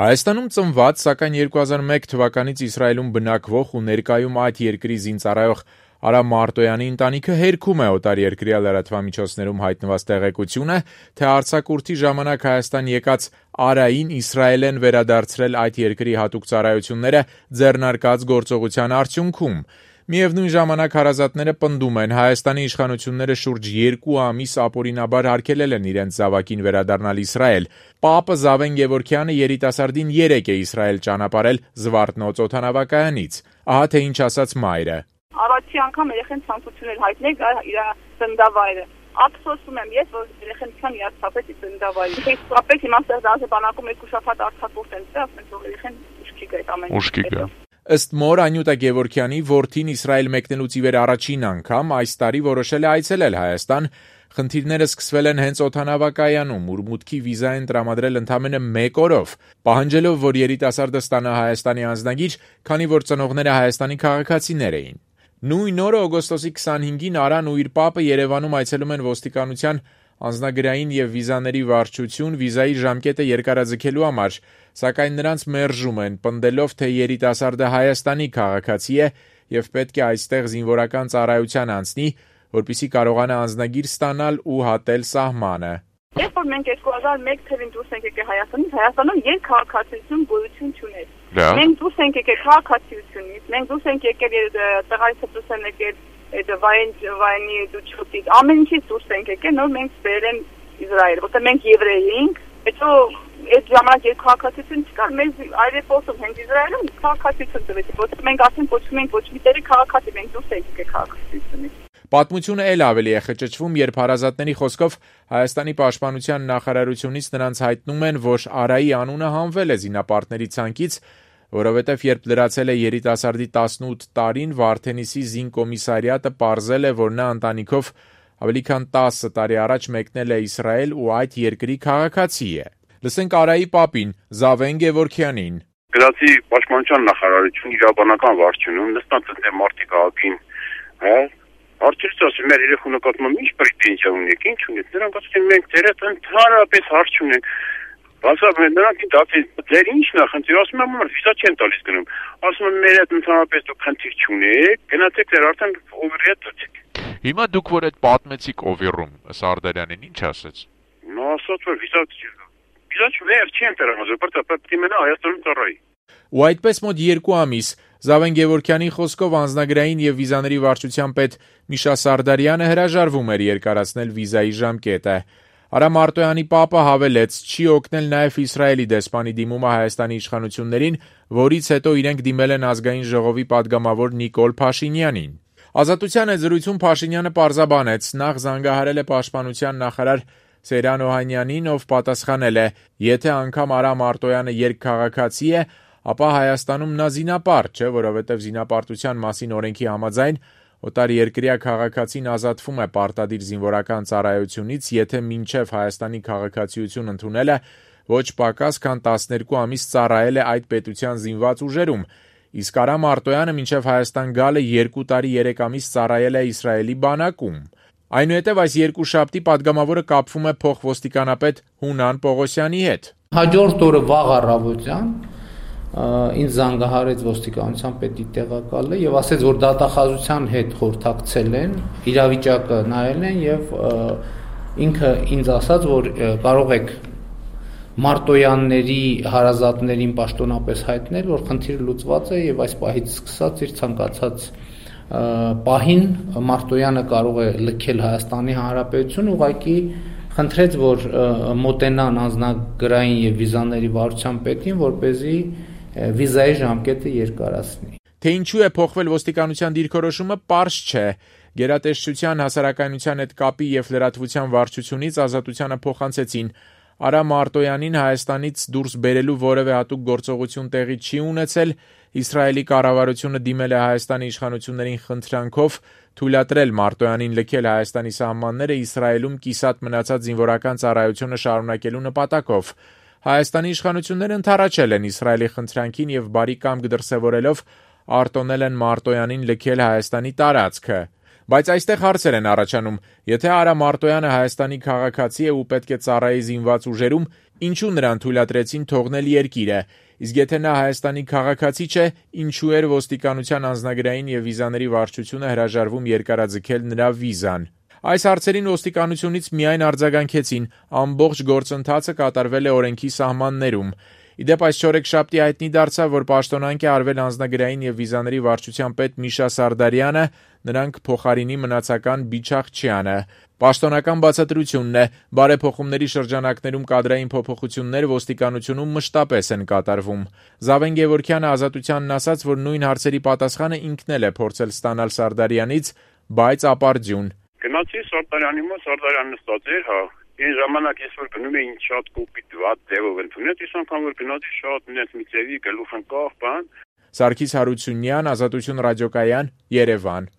Հայաստանում ծնված, սակայն 2001 թվականից Իսրայելում բնակվող ու ներկայում այդ երկրի զինծառայող Արա Մարտոյանի ընտանիքը հերքում է օտարերկրյա լրատվամիջոցներում հայտնված տեղեկությունը, թե արձակուրդի ժամանակ Հայաստան եկած Արային Իսրայել են վերադարձրել այդ երկրի հատուկ ծառայությունները ձեռնարկած գործողության արդյունքում։ Միևնույն ժամանակ հարազատները պնդում են, Հայաստանի իշխանությունները շուրջ 2 ամիս ապօրինաբար արգելել են իրենց զավակին վերադառնալ Իսրայել։ Պապը Զավեն Գևորգյանը երիտասարդին 3 է Իսրայել ճանապարհել Զվարթնոց օդանավակայանից։ Ահա թե ինչ ասաց մայրը. Առաջի անգամ երեխեն ցանկություններ հայտնել իր ծննդավայրը։ Ափսոսում եմ ես, որ երեխան իհարկե ծննդավայրը։ Իսկապես հիմա դարձ բանակում 2 շաբաթ արձակուրդ են ծա, ասենք որ երեխան ուշքի գա այդ ամեն ինչը։ Ըստ մոր Անյուտա Գևորգյանի, որդին Իսրայել մեկնելուց ի վեր առաջին անգամ այս տարի որոշել է այցելել Հայաստան։ Խնդիրները սկսվել են հենց օդանավակայանում, ուր մուտքի վիզա են տրամադրել ընդամենը 1 օրով, պահանջելով, որ երիտասարդը ստանա Հայաստանի անձնագիր, քանի որ ծնողները Հայաստանի քաղաքացիներ էին։ Նույն օրը օգոստոսի 25-ին Արան ու իր պապը Երևանում այցելում են ոստիկանության անձնագրային եւ վիզաների վարչություն վիզայի ժամկետը երկարաձգելու համար, սակայն նրանց մերժում են, պնդելով, թե երիտասարդը Հայաստանի քաղաքացի է եւ պետք է այստեղ զինվորական ծառայության անցնի, որպեսզի կարողանա անձնագիր ստանալ ու հատել սահմանը։ Երբ որ մենք 2001 թվականին դուրս ենք եկել Հայաստանից, Հայաստանում երկքաղաքացիություն գոյություն չուներ։ Մենք դուրս ենք եկել քաղաքացիությունից, մենք դուրս ենք եկել տղայից դուրս են եկել վայնի դուչոտից, ամեն ինչից դուրս ենք եկել, նոր մենք սպերել են Իսրայել, որտեղ մենք եվրեյ էինք, հետո այդ ժամանակ երկքաղաքացիություն չկար, մեզ այրեփոսում հենց Իսրայելում քաղաքացիություն տվեցին, որտեղ մենք ասենք կոչվում ենք ոչ մի տեղի քաղաքացի, մենք դուրս ենք եկել քաղաքացիությունից։ Պատմությունը էլ ավելի է խճճվում, երբ հարազատների խոսքով Հայաստանի պաշտպանության նախարարությունից նրանց հայտնում են, որ Արայի անունը հանվել է զինապարտների ցանկից, որովհետև երբ լրացել է երիտասարդի 18 տարին, Վարդենիսի զինկոմիսարիատը պարզել է, որ նա ընտանիքով ավելի քան 10 տարի առաջ մեկնել է Իսրայել ու այդ երկրի քաղաքացի է։ Լսենք Արայի պապին, Զավեն Գևորգյանին։ Գրացի պաշտպանության նախարարություն իրավաբանական վարչությունում նստած է մարտի քաղաքին, հա Արդյոք ասում մեր երեխու նկատմամբ ինչ պրետենզիա ունեք, ինչ ունեք, նրանք ասում են մենք դերդ ընդհանրապես հարց չունենք, ասում են նրանք դեր ինչն է խնդիր, ասում են որ վիզա չեն տալիս գնում, ասում են մեր հետ ընդհանրապես դուք խնդիր չունեք, գնացեք դեր արդեն օվերի հետ դուք։ Հիմա դուք որ այդ պատմեցիք Օվերում, Սարդարյանին ինչ ասեց։ Նա ասաց որ վիզա չվեր չեն տրամադրել, պետք է մնա Հայաստանում ծառայի։ Ու այդպես մոտ 2 ամիս Զավեն Գևորգյանի խոսքով անձնագրային եւ վիզաների վարչության պետ Միշա Սարդարյանը հրաժարվում էր երկարացնել վիզայի ժամկետը։ Արա Մարտոյանի պապը հավելեց, չի օգնել նաեւ Իսրայելի դեսպանի դիմումը Հայաստանի իշխանություններին, որից հետո իրենք դիմել են ազգային ժողովի падգամավոր Նիկոլ Փաշինյանին։ Ազատության զրույցում Փաշինյանը պարզաբանեց, նախ զանգահարել է պաշտպանության նախարար Սեյրան Օհանյանին, ով պատասխանել է, եթե անգամ Արա Մարտոյանը երկքաղաքացի է, ապա Հայաստանում նա զինապարտ չէ, որովհետև զինապարտության մասին օրենքի համաձայն օտարերկրյա քաղաքացին ազատվում է պարտադիր զինվորական ծառայությունից, եթե մինչև Հայաստանի քաղաքացիություն ընդունել է ոչ պակաս քան 12 ամիս ծառայել է այդ պետության զինված ուժերում, իսկ Արա Մարտոյանը մինչև Հայաստան գալը 2 տարի 3 ամիս ծառայել է Իսրայելի բանակում։ Այնուհետև այս երկուշաբթի падգամավորը կապվում է փոխոստիկանապետ Հունան Պողոսյանի հետ։ Հաջորդ օրը վաղ առավոտյան ինձ զանգահարեց ոստիկանության պետի տեղակալը եւ ասեց, որ դատախազության հետ խորհրդակցել են, իրավիճակը նայել են եւ ինքը ինձ ասաց, որ կարող եք Մարտոյանների հարազատներին պաշտոնապես հայտնել, որ խնդիրը լուծված է եւ այս պահից սկսած իր ցանկացած պահին Մարտոյանը կարող է լքել Հայաստանի Հանրապետություն, ուղղակի խնդրեց, որ մոտենան անձնագրային եւ վիզաների վարչության պետին, որպեսզի վիզայի ժամկետը երկարացնի։ Թե ինչու է փոխվել ոստիկանության դիրքորոշումը, պարզ չէ։ Գերատեսչության հասարակայնության հետ կապի եւ լրատվության վարչությունից ազատությանը փոխանցեցին Արա Մարտոյանին Հայաստանից դուրս բերելու որևէ հատուկ գործողություն տեղի չի ունեցել, Իսրայելի կառավարությունը դիմել է Հայաստանի իշխանություններին խնդրանքով թույլատրել Մարտոյանին լքել Հայաստանի սահմանները Իսրայելում կիսատ մնացած զինվորական ծառայությունը շարունակելու նպատակով։ Հայաստանի իշխանությունները ընդառաջել են Իսրայելի խնդրանքին եւ բարի կամք դրսեւորելով արտոնել են Մարտոյանին լքել Հայաստանի տարածքը։ Բայց այստեղ հարցեր են առաջանում. եթե Արա Մարտոյանը Հայաստանի քաղաքացի է ու պետք է ծառայի զինված ուժերում, Ինչու նրան թույլատրեցին թողնել երկիրը, իսկ եթե նա Հայաստանի քաղաքացի չէ, ինչու էր ոստիկանության անձնագրային եւ վիզաների վարչությունը հրաժարվում երկարաձգել նրա վիզան։ Այս հարցերին ոստիկանությունից միայն արձագանքեցին, ամբողջ գործընթացը կատարվել է օրենքի սահմաններում։ Իդեպ այս չորեքշաբթի հայտնի դարձավ, որ պաշտոնանկ է արվել անձնագրային եւ վիզաների վարչության պետ Միշա Սարդարյանը, նրանք փոխարինի մնացական Բիչախչյանը։ Պաշտոնական բացատրությունն է, բարեփոխումների շրջանակներում կադրային փոփոխություններ ոստիկանությունում մշտապես են կատարվում։ Զավեն Գևորգյանը Ազատությանն ասաց, որ նույն հարցերի պատասխանը ինքն էլ է փորձել ստանալ Սարդարյանից, բայց ապարդյուն։ Գնացի Սարդարյանի մոտ, Սարդարյանն նստած էր, հա։ Այն ժամանակ ես որ գնում էին շատ կոպիտ վատ ձևով ընդունել, ես անգամ որ գնացի շատ նենց մի ձևի գլուխ ընկավ, բան։ Սարգիս Հարությունյան, Ազատություն ռադիոկայան, Երևան։